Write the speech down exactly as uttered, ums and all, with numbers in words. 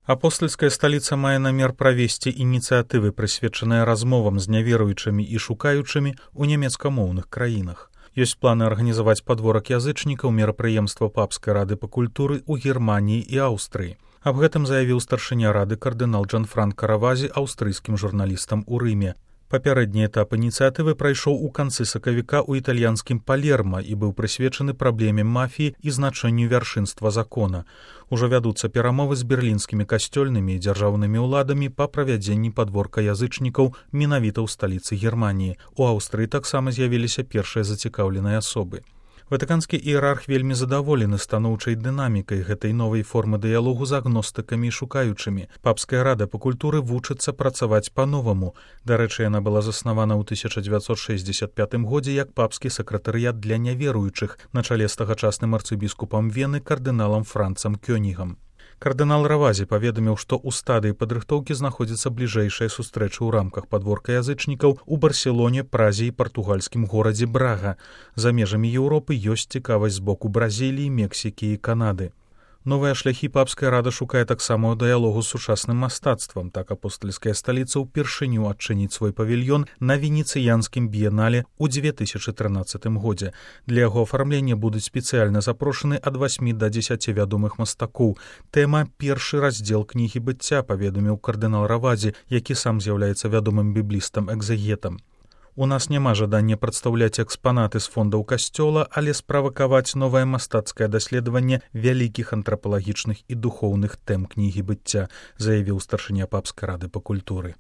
Апостальская сталіца мае намер правесці ініцыятывы, прысвечаныя размовам з няверуючымі і шукаючымі ў нямецкамоўных краінах. Ёсць планы арганізаваць падворак язычнікаў мерапрыемства папскай рады па культуры ў Германіі і Аўстрыі. Аб гэтым заявіў старшыня рады кардынал Джанфранка Равазі аўстрыйскім журналістам у Рыме. Папярэдні этап ініцыятывы прайшоў у канцы сакавіка ў італьянскім Палерма і быў прысвечаны праблеме мафіі і значэнню вяршынства закона. Ужо вядуцца перамовы з берлінскімі касцёльнымі і дзяржаўнымі ўладамі па правядзенні падворка язычнікаў менавіта ў сталіцы Германіі. У Аўстрыі таксама з'явіліся першыя зацікаўленыя асобы. Ватыканскі іерарх вельмі задаволены станоўчай дынамікай гэтай новай формы дыялогу з агностыкамі і шукаючымі. Папская рада па культуры вучыцца працаваць па-новаму. Дарэчы, яна была заснавана ў тысяча дзевяцьсот шэсцьдзесят пятым годзе як папскі сакратарыят для няверуючых на чале з тагачасным арцыбіскупам Вены кардыналам Францам Кёнігам. Кардынал Равазі паведаміў, што ў стадыі падрыхтоўкі знаходзіцца бліжэйшая сустрэча ў рамках падворка язычнікаў у Барселоне, Празе і партугальскім горадзе Брага. За межамі Еўропы ёсць цікавасць з боку Бразіліі, Мексікі і Канады. Новыя шляхі папская рада шукае таксама ў дыялогу з сучасным мастацтвам. Так апостальская сталіца ўпершыню адчыніць свой павільён на венецыянскім біенале ў дзве тысячы трынаццатым годзе. Для яго афармлення будуць спецыяльна запрошаны ад васьмі да дзесяці вядомых мастакоў. Тэма першы раздзел кнігі быцця, паведаміў кардынал Равазі, які сам з'яўляецца вядомым біблістам-экзегетам. У нас няма жадання прадстаўляць экспанаты з фондаў касцёла, але справакаваць новае мастацкае даследаванне вялікіх антрапалагічных і духоўных тэм кнігі быцця, заявіў старшыня папскай рады па культуры.